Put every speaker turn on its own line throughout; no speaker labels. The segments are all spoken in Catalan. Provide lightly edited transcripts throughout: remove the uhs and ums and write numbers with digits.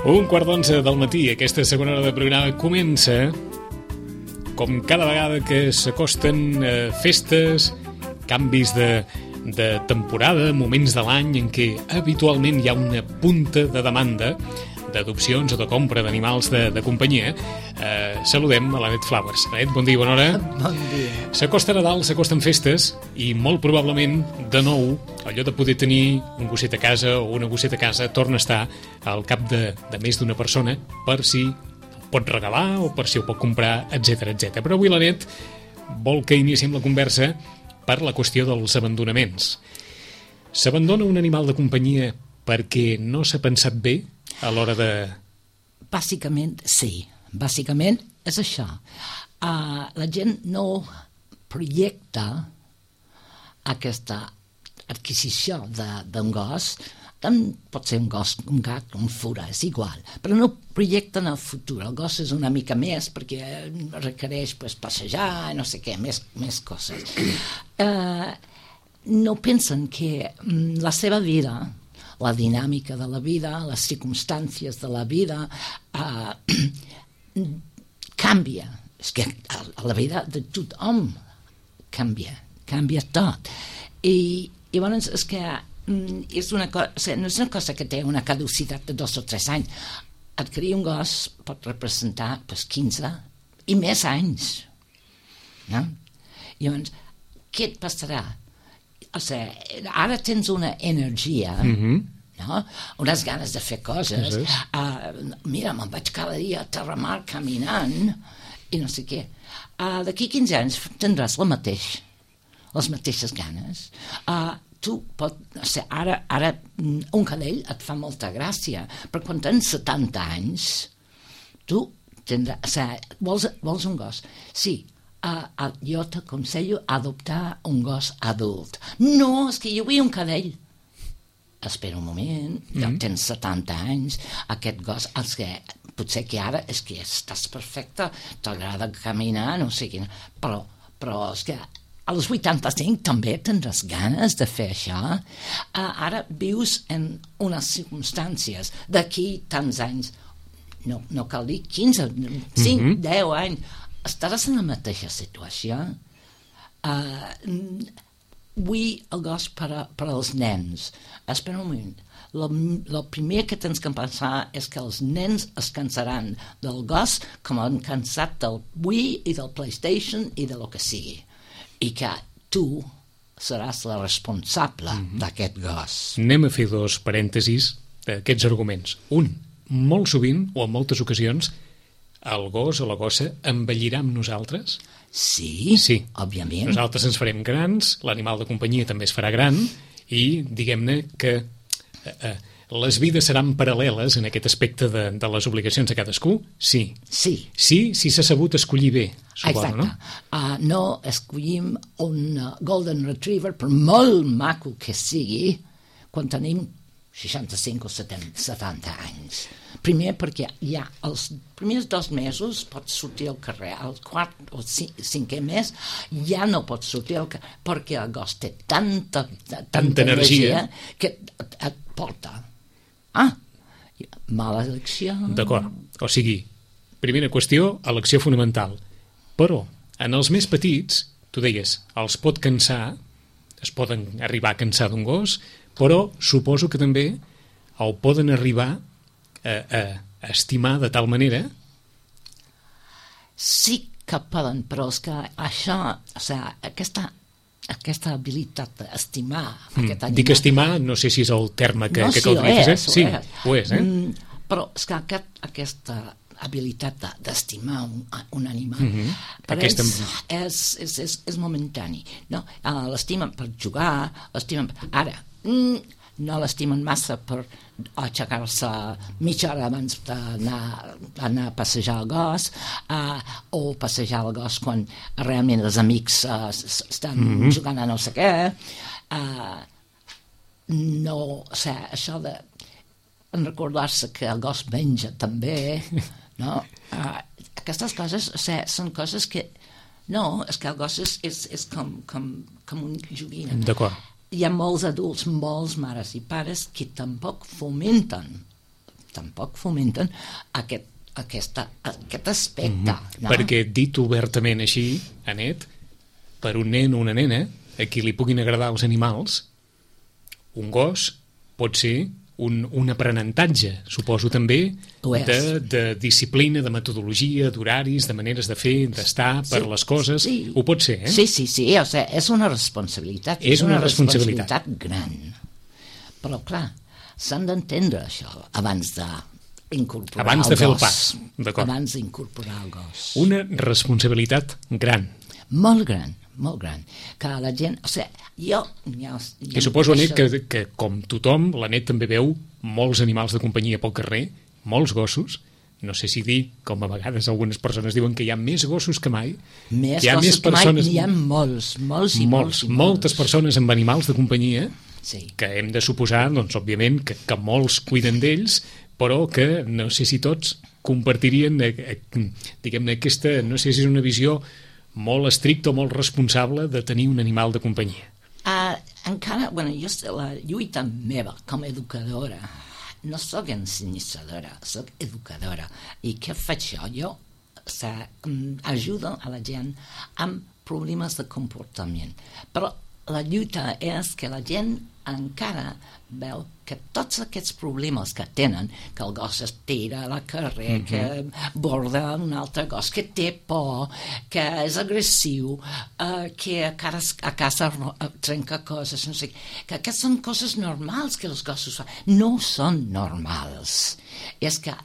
1:15 del matí, aquesta segona hora de programa comença com cada vegada que s'acosten festes, canvis de temporada, moments de l'any en què habitualment hi ha una punta de demanda d'adopcions o de compra d'animals de companyia. Saludem a l'Anet Flowers. Anet, bon dia, bona hora.
Bon dia.
S'acosta Nadal, s'acosten festes i molt probablement, de nou, allò de poder tenir un gosset a casa o una gosseta a casa torna a estar al cap de més d'una persona per si ho pot regalar o per si ho pot comprar, etc etc. Però avui l'Anet vol que iniciem la conversa per la qüestió dels abandonaments. S'abandona un animal de companyia perquè no s'ha pensat bé a l'hora de...
Bàsicament, sí. Bàsicament és això. La gent no projecta aquesta adquisició d'un gos, pot ser un gos, un gat, un fura, és igual, però no projecten el futur. El gos és una mica més perquè requereix passejar, no sé què, més coses. No pensen que la seva vida, la dinàmica de la vida, les circumstàncies de la vida canvia. És que la vida de tothom canvia tot. I llavors és que és una cosa, o sigui, no és una cosa que té una caducitat de 2 o 3 anys. Adquirir un gos pot representar 15 i més anys. No? Llavors, què et passarà? O sigui, ara tens una energia, no? Unes ganes de fer coses. Mira, me'n vaig cada dia a Terramar caminant i no sé què. D'aquí 15 anys tindràs les mateixes ganes. Tu ara un cadell et fa molta gràcia, però quan tens 70 anys tu tindràs, o sigui, vols un gos? Sí. Jo t'aconsello adoptar un gos adult. No, és que jo vull un cadell. Espera un moment, ja tens 70 anys, aquest gos, potser que ara és que estàs perfecte, t'agrada caminar, no sé quina, però és que als 85 també tindràs ganes de fer això. Ara vius en unes circumstàncies d'aquí tants anys, no cal dir 15, 5, 10 anys, estaràs en la mateixa situació. Vull el gos per als nens. Espera un moment. El primer que tens que pensar és que els nens es cansaran del gos com han cansat del Wii i del PlayStation i de lo que sigui. I que tu seràs la responsable d'aquest gos.
Anem a fer 2 parèntesis d'aquests arguments. Un, molt sovint o en moltes ocasions el gos o la gossa envellirà amb nosaltres?
Sí, òbviament.
Nosaltres ens farem grans, l'animal de companyia també es farà gran i diguem-ne que les vides seran paral·leles en aquest aspecte de les obligacions de cadascú? Sí. Sí, si s'ha sabut escollir bé, suposo, no?
No escollim un Golden Retriever, per molt maco que sigui, quan tenim 65 o 70 anys. Primer perquè ja els primers 2 mesos pots sortir al carrer, al 4 o 5è mes ja no pots sortir al carrer perquè el gos té tanta energia que et porta. Mala elecció.
D'acord, o sigui, primera qüestió, elecció fonamental. Però en els més petits, tu deies, els pot cansar, es poden arribar a cansar d'un gos, però suposo que també el poden arribar a estimar de tal manera?
Sí que poden, però és que això, o sigui, aquesta habilitat d'estimar aquest animal...
Dic estimar, no sé si és el terme que utilitzes. Sí, ho és.
Però és que aquesta habilitat d'estimar un animal per ells és momentani. No? L'estimen per jugar, ara... no l'estimen massa per aixecar-se mitja hora abans d'anar a passejar el gos o passejar el gos quan realment els amics estan jugant a no sé què. Això de recordar-se que el gos menja també, no? Aquestes coses són coses que no, és que el gos és com un joguina.
D'acord.
Hi ha molts adults, molts mares i pares que tampoc fomenten tampoc fomenten aquest aspecte. No?
Perquè dit obertament així, Anet, per un nen o una nena a qui li puguin agradar els animals, un gos pot ser un aprenentatge, suposo també, de disciplina, de metodologia, d'horaris, de maneres de fer, d'estar per les coses.
Sí.
Ho pot ser, eh?
Sí, o sigui, és una responsabilitat.
És una responsabilitat
gran. Però, clar, s'han d'entendre això abans de
fer el pas.
Abans d'incorporar el gos.
Una responsabilitat gran.
Molt gran, molt gran. Que la gent... O sigui, jo
I suposo, Anet, que com tothom, l'Anet també veu molts animals de companyia pel carrer, molts gossos. No sé si dir, com a vegades algunes persones diuen que hi ha més gossos que mai.
Més gossos que mai, n'hi ha molts.
Moltes persones amb animals de companyia,
sí.
Que hem de suposar, doncs, òbviament, que molts cuiden d'ells, però que no sé si tots compartirien, diguem-ne, aquesta, no sé si és una visió molt estricta o molt responsable de tenir un animal de companyia.
Encara, jo la lluita meva com a educadora, no sóc ensenyadora, sóc educadora. I què faig jo? Ajudo a la gent amb problemes de comportament. Però la lluita és que la gent encara veu que tots aquests problemes que tenen, que el gos es tira a la carrer, que borda un altre gos, que té por, que és agressiu, que a casa trenca coses, no sé, que aquestes són coses normals que els gossos fan. No són normals. És que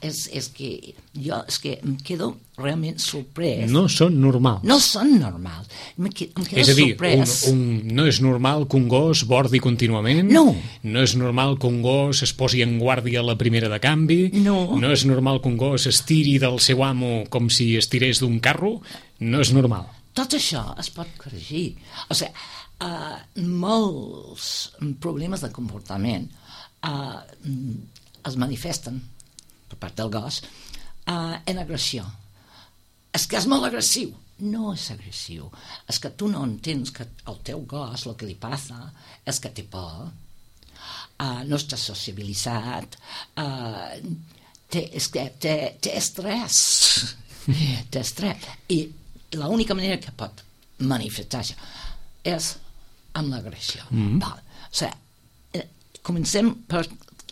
em quedo realment sorprès.
No són normals.
No són normals. Em quedo
és a dir,
sorprès.
No és normal que un gos bordi contínuament.
No.
No és normal que un gos es posi en guàrdia a la primera de canvi.
No.
No és normal que un gos es tiri del seu amo com si es tirés d'un carro. No és normal.
Tot això es pot corregir. O sigui, molts problemes de comportament es manifesten per part del gos en agressió. És que és molt agressiu. No és agressiu. És que tu no entens que el teu gos, el que li passa és que té por, no està sociabilitzat, té estrès. Té estrès. I l'única manera que pot manifestar això és amb l'agressió. O sigui, comencem per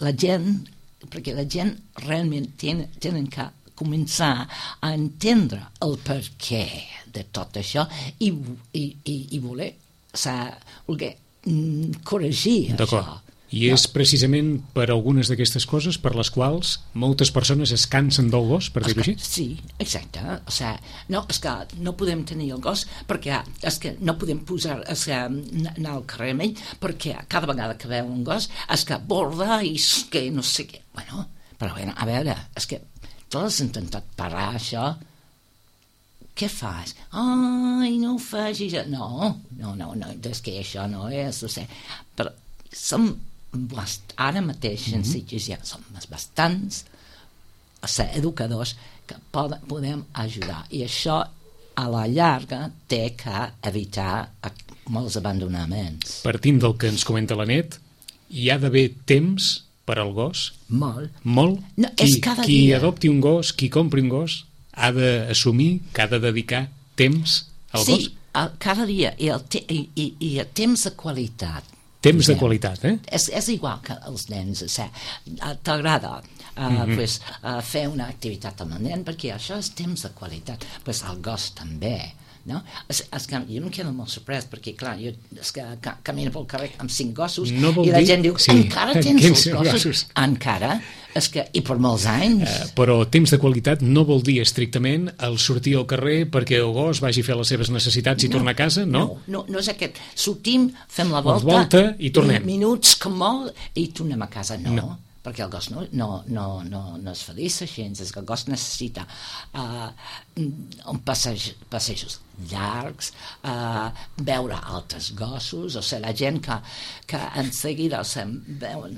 la gent, perquè la gent realment tenen que començar a entendre el perquè de tot això i voler corregir això.
I és precisament per algunes d'aquestes coses per les quals moltes persones es cansen del gos, per dir-ho així?
Sí, exacte. O sigui, és que no podem tenir el gos perquè és que no podem anar al carrer amb ell perquè cada vegada que veu un gos és que borda i que no sé què. Bueno, a veure, és que tu has intentat parar això. Què fas? Ai, no ho facis. No, és que això no és. O sigui, però som ara mateix en Sitges ja som bastants educadors que podem ajudar i això a la llarga té que evitar molts abandonaments.
Partint del que ens comenta l'Anet, hi ha d'haver temps per al gos?
Molt.
No, qui adopti un gos, qui compri un gos, ha d'assumir que ha de dedicar temps al gos?
Sí, cada dia i el temps de qualitat.
Temps de qualitat, eh?
És igual que els nens. T'agrada fer una activitat amb el nen perquè això és temps de qualitat. El gos també. No? És que jo em quedo molt sorprès perquè, clar, jo camino pel carrer amb 5 gossos i la gent diu, encara tens els gossos? Encara? És que, i per molts anys.
Però temps de qualitat no vol dir estrictament el sortir al carrer perquè el gos vagi a fer les seves necessitats i tornar a casa, no?
No és aquest. Sortim, fem la volta
i tornem.
Minuts com molt i tornem a casa. No. Perquè el gos no es fa dir així, és que el gos necessita passejos llargs, veure altres gossos, o sigui, la gent que en seguida veuen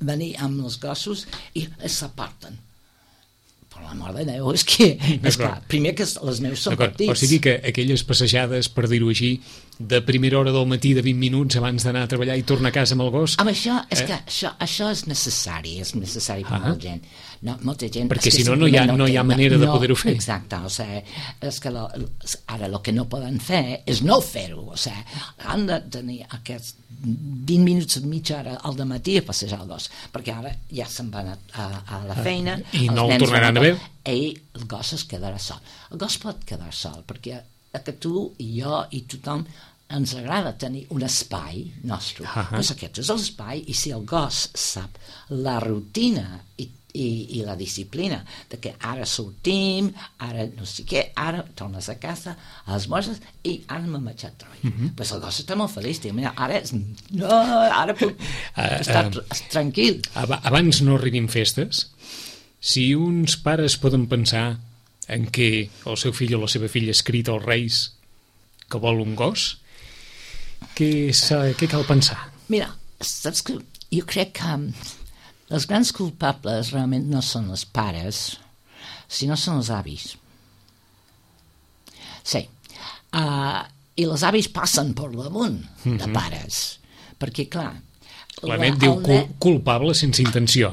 venir amb els gossos i s'aparten. Per l'amor de Déu, és que primer que els meus són petits.
O sigui que aquelles passejades, per dir-ho així, de primera hora del matí de 20 minuts abans d'anar a treballar i tornar a casa amb el gos.
Amb això, és que això és necessari per molta gent. No, molta gent...
Perquè si no, no hi ha manera de poder-ho fer.
Exacte, o sigui, és que ara el que no poden fer és no fer-ho, o sigui, han de tenir aquests 20 minuts, mitja hora al dematí a passejar el gos, perquè ara ja se'n van a la feina...
I no el tornaran a veure.
I el gos es quedarà sol. El gos pot quedar sol, perquè que tu i jo i tothom ens agrada tenir un espai nostre. Doncs aquest és l'espai, i si el gos sap la rutina i la disciplina de que ara sortim, ara no sé què, ara tornes a casa a les morses i ara m'he marxat a treballar. Doncs el gos està molt feliç, diu, mira, ara puc estar tranquil.
Abans no arribin festes, si uns pares poden pensar en què el seu fill o la seva filla ha escrit als Reis que vol un gos, què cal pensar?
Mira, saps que jo crec que els grans culpables realment no són els pares, sinó són els avis. Sí. I els avis passen per damunt de pares, perquè, clar,
la net diu culpable sense intenció,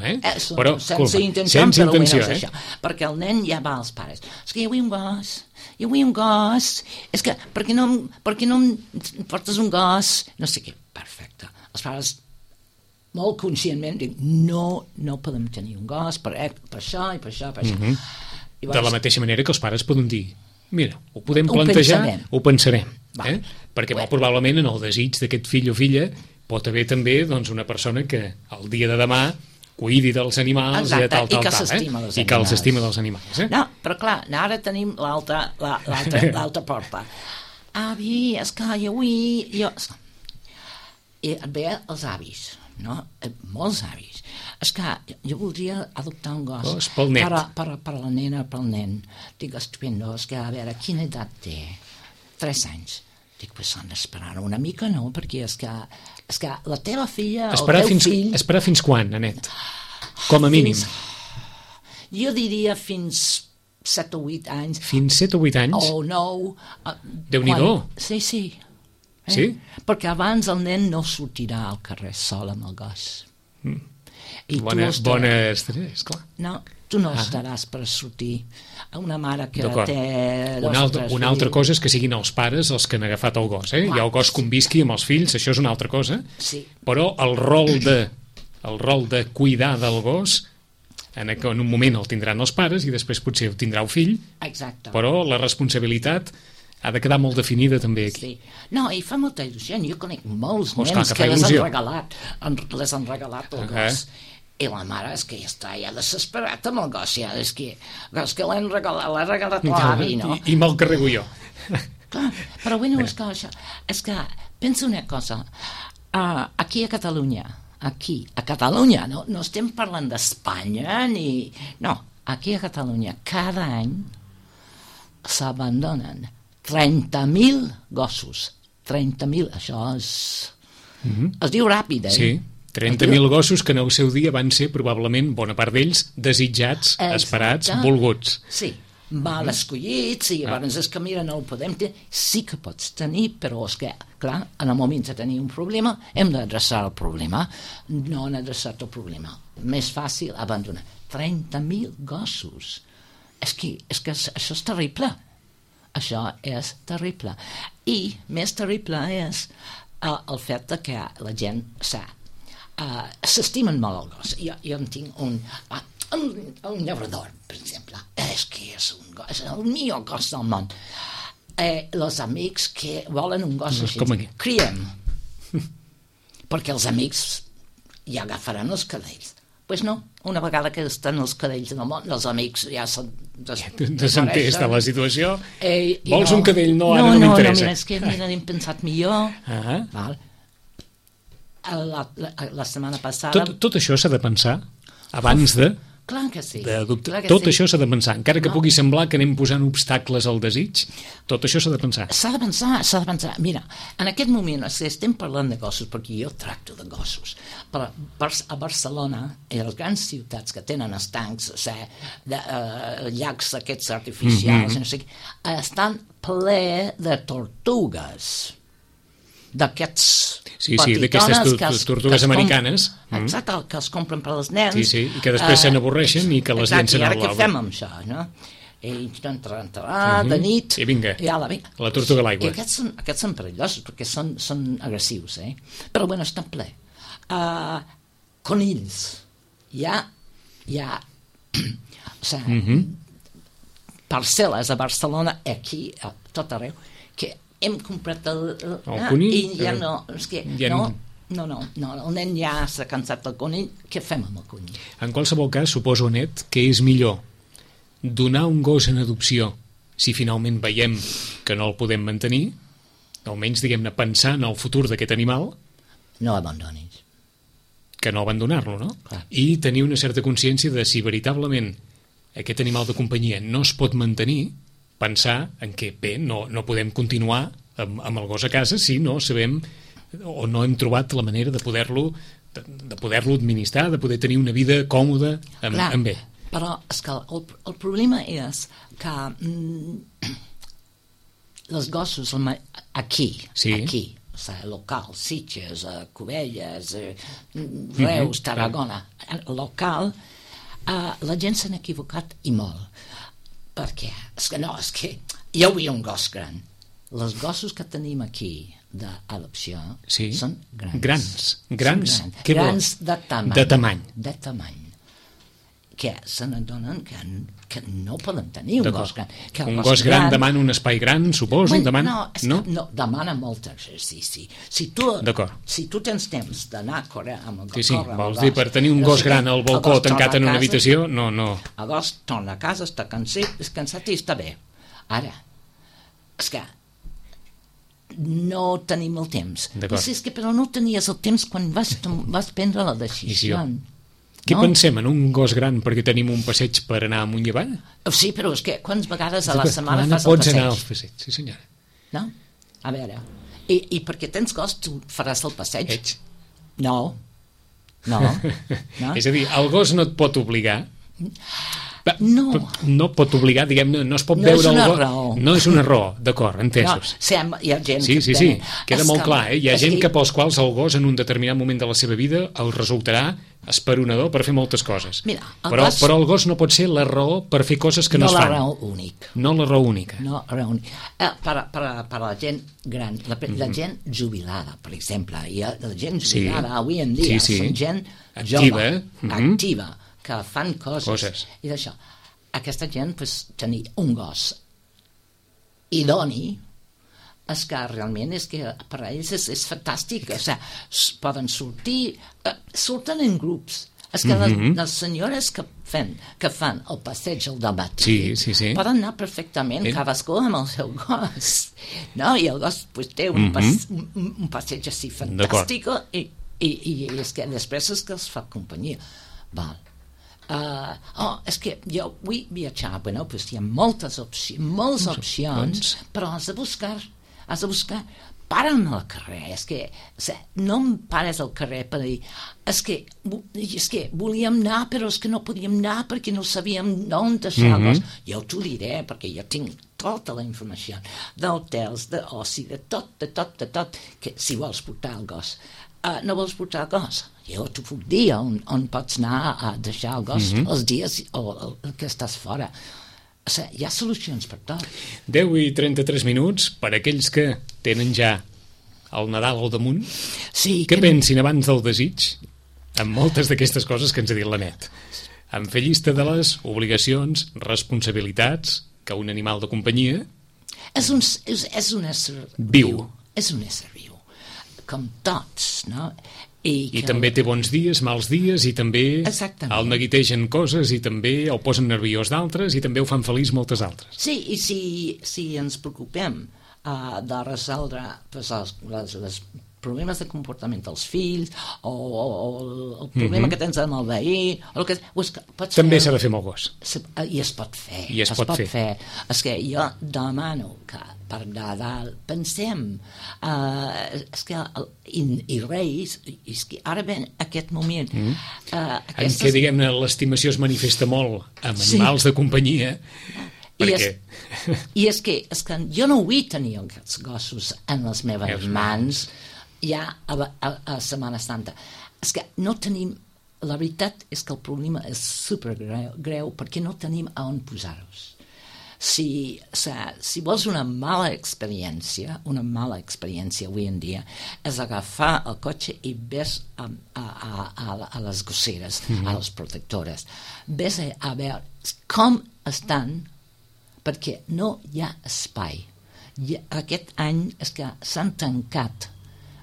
però sense intenció, això. Perquè el nen ja va als pares. És que jo vull un gos, és que per què no em portes un gos? No sé què, perfecte. Els pares molt conscientment diuen no podem tenir un gos per això i per això.
De la mateixa manera que els pares poden dir, mira, ho podem plantejar, ho pensarem. Perquè molt probablement en el desig d'aquest fill o filla pot haver també una persona que el dia de demà cuidi dels animals i tal,
i que s'estima dels animals.
I que els estima dels animals.
No, però clar, ara tenim l'altra porta. Avi, és que jo vull... I et ve els avis, no? Molts avis. És que jo voldria adoptar un gos
pel net.
Per la nena, pel nen. Dic, estupendo, és que a veure, quina edat té? 3 anys. Dic, pues s'han d'esperar una mica, no? Perquè és que la teva filla, el teu fill...
Esperar fins quan, Anet? Com a mínim.
Jo diria fins 7 o 8 anys.
Fins 7 o 8 anys?
O 9.
Déu-n'hi-do.
Sí.
Sí?
Perquè abans el nen no sortirà al carrer sol amb el gos.
Bona estrès, clar.
No, tu no estaràs per sortir a una mare que té...
Una altra cosa és que siguin els pares els que han agafat el gos, i el gos convisqui amb els fills, això és una altra cosa, però el rol de cuidar del gos en un moment el tindran els pares i després potser ho tindrà el fill.
Exacte.
Però la responsabilitat ha de quedar molt definida també aquí.
No, i fa molta il·lusió. Jo conec molts nens que les han regalat el gos. I la mare és que ja està desesperat amb el gos, és que l'ha regalat l'avi, no?
I me'l carrego jo.
Clar, però bueno, és que pensa una cosa, aquí a Catalunya, no estem parlant d'Espanya ni... No, aquí a Catalunya cada any s'abandonen 30.000 gossos. 30.000, això és... Es diu ràpid,
Sí. 30.000 gossos que en el seu dia van ser probablement, bona part d'ells, desitjats, esperats, volguts.
Sí, mal escollits, i llavors és que mira, no ho podem tenir. Sí que pots tenir, però és que, clar, en el moment de tenir un problema, hem d'adreçar el problema. No han adreçat el problema. Més fàcil abandonar. 30.000 gossos. És que això és terrible. Això és terrible. I més terrible és el fet que la gent s'estimen molt el gos. Jo en tinc un llaurador, per exemple. És que és un gos, és el millor gos del món. Els amics que volen un gos així, criem. Perquè els amics ja agafaran els cadells. Doncs no, una vegada que estan els cadells del món, els amics ja són...
Desentès de la situació. Vols un cadell? No, ara no m'interessa.
No, és que hem pensat millor. Val. La setmana passada...
Tot això s'ha de pensar abans de...
Clar que sí.
Tot això s'ha de pensar. Encara que pugui semblar que anem posant obstacles al desig, tot això s'ha de pensar.
S'ha de pensar. Mira, en aquest moment estem parlant de gossos, perquè jo tracto de gossos. Però a Barcelona i a les grans ciutats que tenen estancs, llacs aquests artificials, no sé què, estan ple de tortugues. d'aquests
Sí, d'aquestes tortugues americanes.
Exacte, que els compren per als nens.
Sí, i que després se n'avorreixen i que les llencen al
lau. I ara què fem amb això, no? Ells de nit...
I vinga, la tortuga a l'aigua.
I aquests són perillosos, perquè són agressius, Però, bueno, estan ple. Conills. Hi ha parcel·les a Barcelona, aquí, a tot arreu, que hem comprat el
conill,
i ja no, és que no, el nen ja s'ha cansat del conill. Què fem amb el conill?
En qualsevol cas, suposo, Anet, que és millor donar un gos en adopció si finalment veiem que no el podem mantenir, almenys, diguem-ne, pensar en el futur d'aquest animal.
No abandonis.
Que no abandonar-lo, no?
Clar.
I tenir una certa consciència de si veritablement aquest animal de companyia no es pot mantenir, pensar en què, bé, no podem continuar amb el gos a casa si no sabem o no hem trobat la manera de poder-lo administrar, de poder tenir una vida còmoda amb ell.
Però és que el problema és que els gossos aquí, o sigui, local, Sitges, Cubelles, Reus, Tarragona, local, la gent s'ha equivocat i molt. Per què? És que jo vull un gos gran. Els gossos que tenim aquí d'adopció són grans. Grans de tamany. Que se n'adonen que no poden tenir un gos gran.
Un gos gran demana un espai gran, suposo?
No, demana molt exercici. Si tu tens temps d'anar a córrer amb el gos...
Sí, vols dir, per tenir un gos gran al balcó tancat en una habitació, no.
El gos torna a casa, està cansat i està bé. Ara, és que no tenim el temps. Però no tenies el temps quan vas prendre la decisió.
Què pensem, en un gos gran perquè tenim un passeig per anar amunt i avall?
Sí, però és que quantes vegades a la setmana fas el passeig?
Pots anar al passeig, sí senyora.
No? A veure, i perquè tens gos tu faràs el passeig? No.
És a dir, el gos no et pot obligar. No pot obligar, diguem-ne, no es pot veure el gos. No és una raó, d'acord, entesos.
Hi ha gent
sí, queda molt clar, hi ha gent que pels quals el gos en un determinat moment de la seva vida el resultarà esperonador per fer moltes coses. Però el gos no pot ser la raó per fer coses que no es fan. No la raó única.
Per a la gent gran, la gent jubilada, per exemple, i la gent jubilada avui en dia són gent jove, activa, que fan coses. I d'això, aquesta gent, tenir un gos idoni, és que realment és que per a ells és fantàstic. O sigui, poden surten en grups. És que les senyores que fan el passeig al dematí poden anar perfectament cadascú amb el seu gos. No? I el gos té un passeig així fantàstic i és que després és que els fa companyia. Val. És que jo vull viatjar. Bueno, hi ha moltes opcions, però has de buscar. Para'm al carrer. És que no em pares al carrer per dir és que volíem anar però és que no podíem anar perquè no sabíem on deixar-los. Jo t'ho diré perquè jo tinc tota la informació d'hotels, d'oci, de tot, que si vols portar el gos. No vols portar el gos? Jo t'ho puc dir on pots anar a deixar el gos els dies que estàs fora. O sigui, hi ha solucions per tot.
10 i 33 minuts per aquells que tenen ja el Nadal al damunt. Què pensin abans del desig amb moltes d'aquestes coses que ens ha dit l'Anet? En fer llista de les obligacions, responsabilitats que un animal de companyia...
És un ésser
viu.
És un ésser viu. Com tots, no?
I també té bons dies, mals dies, i també el neguitegen coses, i també el posen nerviós d'altres, i també ho fan feliç moltes altres.
Sí, i si ens preocupem de resoldre els problemes de comportament dels fills, o el problema que tens amb el veí,
també s'ha de fer amb el gos.
I es pot fer.
Es pot fer.
És que jo demano que per Nadal pensem i Reis, és que ara ven aquest moment
en què, diguem-ne, l'estimació es manifesta molt amb animals de companyia
I és que jo no vull tenir aquests gossos en les meves mans ja a Setmana Santa. És que no tenim... La veritat és que el problema és supergreu perquè no tenim a on posar-los. Si vols una mala experiència avui en dia, és agafar el cotxe i ves a les gosseres, a les protectores. Ves a veure com estan, perquè no hi ha espai. Aquest any és que s'han tancat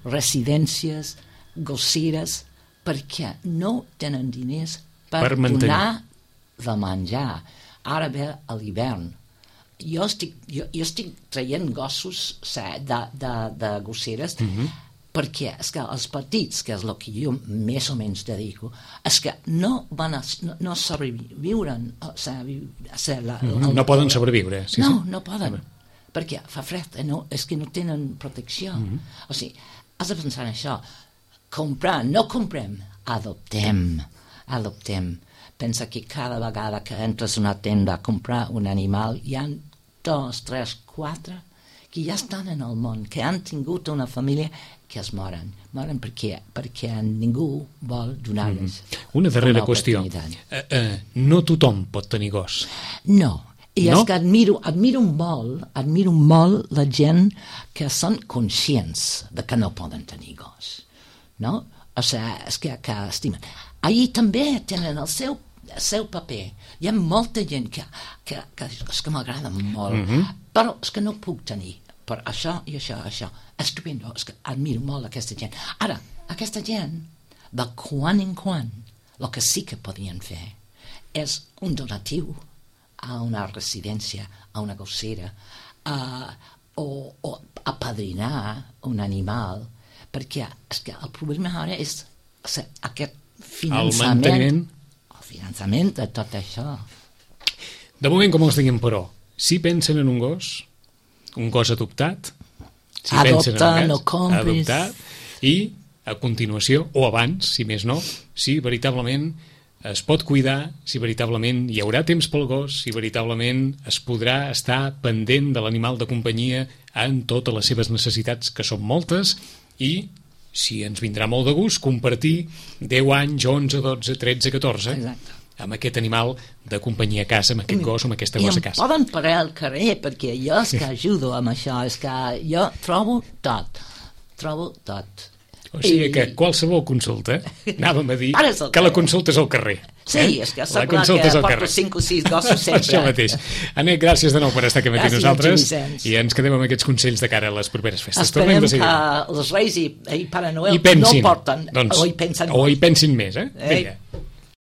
residències, gosseres, perquè no tenen diners per donar de menjar. Ara ve a l'hivern. Jo estic traient gossos de gosseres perquè és que els petits, que és el que jo més o menys dedico, és que no sobreviuren.
No poden sobreviure.
No poden, perquè fa fred, és que no tenen protecció. O sigui, has de pensar en això. No comprem, adoptem. Pensa que cada vegada que entres a una tenda a comprar un animal hi ha 2, 3, 4 que ja estan en el món, que han tingut una família que es moren perquè ningú vol donar-los
una darrera qüestió. No tothom pot tenir gos.
No, i és que admiro molt la gent que són conscients de que no poden tenir gos, no? O sigui, és que estimen. Allí també tenen el seu paper. Hi ha molta gent que és que m'agrada molt, però és que no puc tenir per això i això. Estupendo, és que admiro molt aquesta gent. Ara, aquesta gent, de quan en quan, el que sí que podien fer és un donatiu a una residència, a una gossera, o apadrinar un animal, perquè és que el problema ara és aquest finançament, el finançament de tot això.
De moment, com els diguem, però, si pensen en un gos adoptat,
adopta, no compris.
Adoptat, i a continuació, o abans, si més no, si veritablement es pot cuidar, si veritablement hi haurà temps pel gos, si veritablement es podrà estar pendent de l'animal de companyia en totes les seves necessitats, que són moltes, i si ens vindrà molt de gust compartir 10 anys, 11, 12, 13, 14 amb aquest animal de companyia a casa, amb aquest gos o amb aquesta gossa a casa.
I em poden parar al carrer perquè jo és que ajudo amb això, és que jo trobo tot. O
sigui que qualsevol consulta, anàvem a dir que la consulta és al carrer.
Sí, és que sap clar que porto 5 o 6 gossos sempre.
Això mateix. Anet, gràcies de nou per estar aquí amb nosaltres i ens quedem amb aquests consells de cara a les properes festes.
Esperem que els Reis i Pare Noel no porten o hi pensen
més. Vinga.